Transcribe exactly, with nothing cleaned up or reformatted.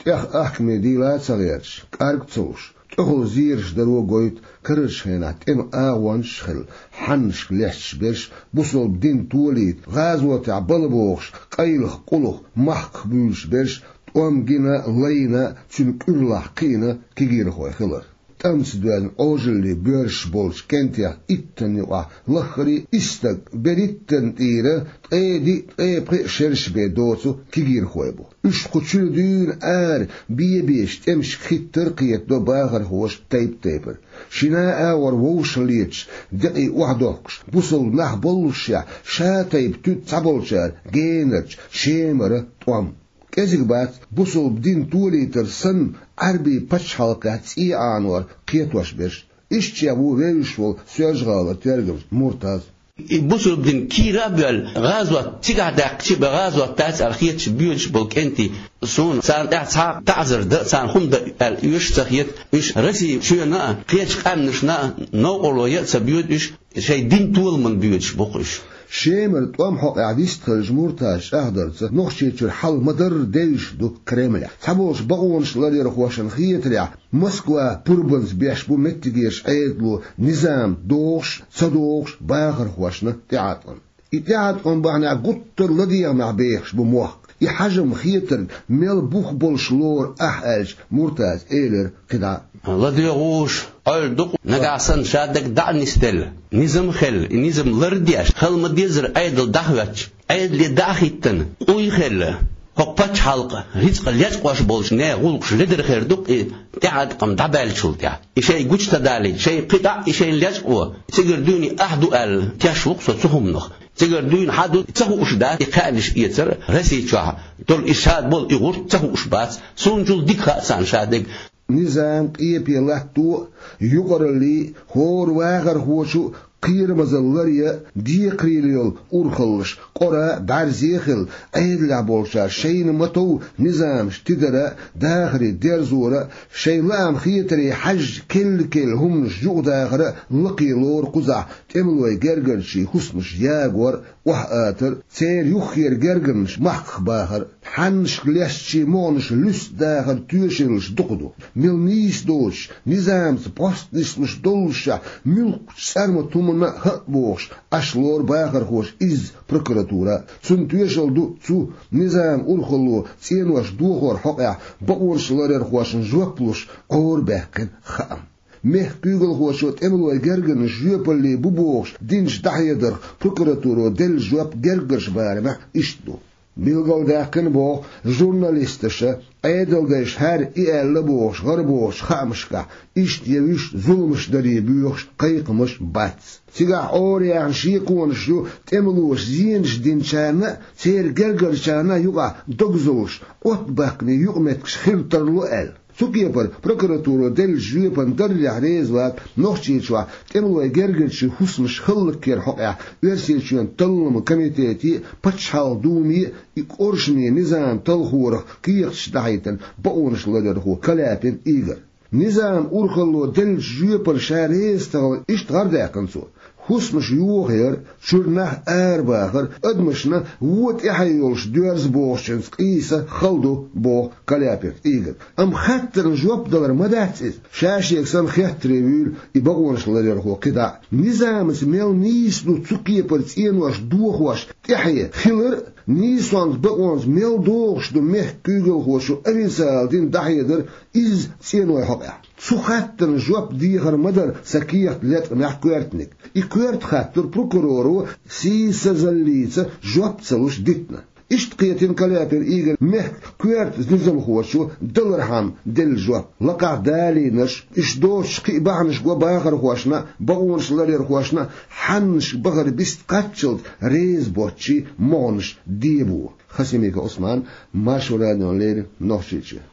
тӀех ахкаме дийла а ца гӀерташ, кӀарг а ца луш, тӀехула зераш даро гойту карарчу хенахь тӀеман агӀончаш а хилла, хьаннашка лаьтташ берш, бусалба дин толийта, гӀазотехь бала бохуш, къайлаха, къулаха, махках буьйлуш берш, тӀом гина, лайна, цуьнан кӀуьрлахь кхиъна кегийрхой хилар. ТӀамца доьзна Ӏожаллин боьршаш болчу кӀентех иттанна юкъахь лаххара исс стаг берхӀиттанна тӀера ткъе диъ, ткъе пхи шераш бен доцу кегийрхой бу. Уьш кху чуьра дуьйна ара бен-бен тӀемашка хӀиттар а кхетадо бахархоша тайп-тайпана. Шина а агӀор вовшахлеташ, декъий охьадохкуш, бусалба нах боллушехь, ша тайпа туьту цхьаболчара генарчу, Шемара тӀом. КӀезиг бац бусалба дин толийтар санна Ӏаьрбийн пачхьалкхехь цӀий Ӏанор кхетош берш. Иштта чӀогӀа ву вевзаш волу Соьлжа-ГӀалара тергамча Муртаз. И бусалба дин кийра а боьлла, гӀазот цигахь даьккхича бен гӀазот дац аьлла хеташ боьдуш болу кӀентий, суна царна тӀехь цхьа а таӀзар дан а, царна хӀума дан а аьлла оьшуш а ца хета, уьш Россин чоьнна а, кхечу къаьмнашна а новкъарло ян а ца боьду уьш, шайн дин толаман боьдуш бу-кх уьш. Шемара тӀом хьокъехь вистхиллачу Муртаза чӀагӀдарца, Нохчийчуьра хьал ма-дарра девзаш ду Кремлехь. Цхьаболчу бакъонаш ларъярхошна хетарехь, Москва пурбанца беш бу меттигерчу Ӏедало низам дохуш а, ца дохуш а бахархошна тӀеӀаткъам. И тӀеӀаткъам бахьанехь гуттар а ладегӀамехь бехаш бу мохк. И хьажам, хетарг мел бух болуш лору ахь аьлча, Муртаза элира кхидӀа: ЛадоьгӀуш, Ӏойла ду-кх, нагахь санна шадерг дӀа а нисделла, низам а хилла, и низам лардеш, хала ма-деззара Ӏедал дӀахӀоьттича, Ӏедале дӀа а хӀиттина, къуй а хилла, хӀокху пачхьалкхан рицкъ лечкъош болчу нехан гӀуллакхаш ледара хир ду-кх и тӀеӀаткъам дӀабаьллачул тӀаьхьа. И шайн гуча ца далийта, шайн кхин дӀа а и шайна лечкъо, цигара дуьйна ахь ду аьлла, теш ву-кх со цу хӀуманах. Цигара дуьйна хьан ду ца хууш дац и кхаьънаш эцар а, Росси чохь долу и шадолу и гӀурт ца хууш бац. Суна чул дика хаьа царна шадерг. Низам къепе латто а, юкъараллий а, хӀора вахархочо а кхерамазалла ларъян а декхарийлахь йолу урхаллаш къора а, бӀаьрзе а хилла, Ӏедалехь болчара шайна ма-тов низамаш тидара а, дахаре дерзора а, шайн лаам-хетаре хьаьжжа, келла-келла хӀуманаш юкъадахар а лакхе лору кхузахь тӀемалойн гергарчийн хӀусамаш ягор а, охьаатар а, церан юххера гергарнаш махках бахар а. Хьаннашка лаьцначийн могӀанаш луьста дахар тоьшаллаш дукха ду. Мел нийса доцуш, низамца пост нислуш доллушехь, муьлххачу цӀармат хӀуманна а хӀаъ бохуш, Ӏаш лору бахархоша изза прокуратура а. Цунна тоьшалла ду цу низаман урхалло цӀенош дохор хьокъехь бакъонаш ларъярхошна жоп луш Ӏорабаьккхина хаам. Мехкан куьйгалхочо тӀемалойн гергарнаш жоьпалле бу бохуш динчу дӀахьедарх прокуратуро делла жоп гергарчу барамехь иштта ду. Билгалдаьккхина боху журналисташа, Ӏедалдайша хӀара и аьлла бохуш гӀарабохучу хаамашкахь, иштта я вуьш зуламаш даре боьхуш кхайкхамаш бац. Цигахь Ӏораяьхна шеконаш ю тӀемалоша зенаш динчарна а, церан гергарчарна а юкъахь догзалш, оттабаккхане юкъаметтигаш хир тарло аьлла. Цу кепара прокуратуро деллачу жоьпана даррехь реза вац Нохчийчохь тӀемалойн гергарчийн хӀусамаш хӀаллакьера хьокъехь Оьрсийчоьнан Талламан комитете а, Пачхьалкхан Думе а и къуршаме низам талхорах кехаташ дӀахьийтина бакъонаш ларъярхо Каляпин Игорь. Низаман урхалло деллачу жоьпана ша реза ца хилар иштта гӀардаьккхина цо. ХӀусамаш йохаяр, чуьра нах арабахар, адамашна вон тӀаьхье йолуш доьрзу бохучуьнца къийса хала ду, боху Каляпин Игорь. Амма хаттарна жоп далар ма дац иза, ша шега санна хеттаре вуьйла и бакъонаш ларъярхо кхидӀа а. Низамца мел нийса ду цу кепара цӀенош дохош тӀаьхье хилар а, нийсонца, бакъонца мел догӀуш ду мехкан куьйгалхочо официалан дин дӀахьедар, изза цӀенойн хьокъехь. Цу хаттарна жоп дехар ма дара сан кехат латкъамехь коьртаниг. И коьрта хаттар прокуроро сийсазаллица жоп ца луш дитина. Иштта кхетийна Каляпин Игорь мехкан коьрта низамхочо далархьама делла жоп. Лакхахь далийнарш, уьш доцуш кхин а бахьанаш го бахархошна а, бакъонаш ларъярхошна а хьаннашка бахар бист кхаччалц реза боцчийн могӀанаш дебо. Хасимиков Ӏусман, Маршо радиона леррина, Нохчийчоь.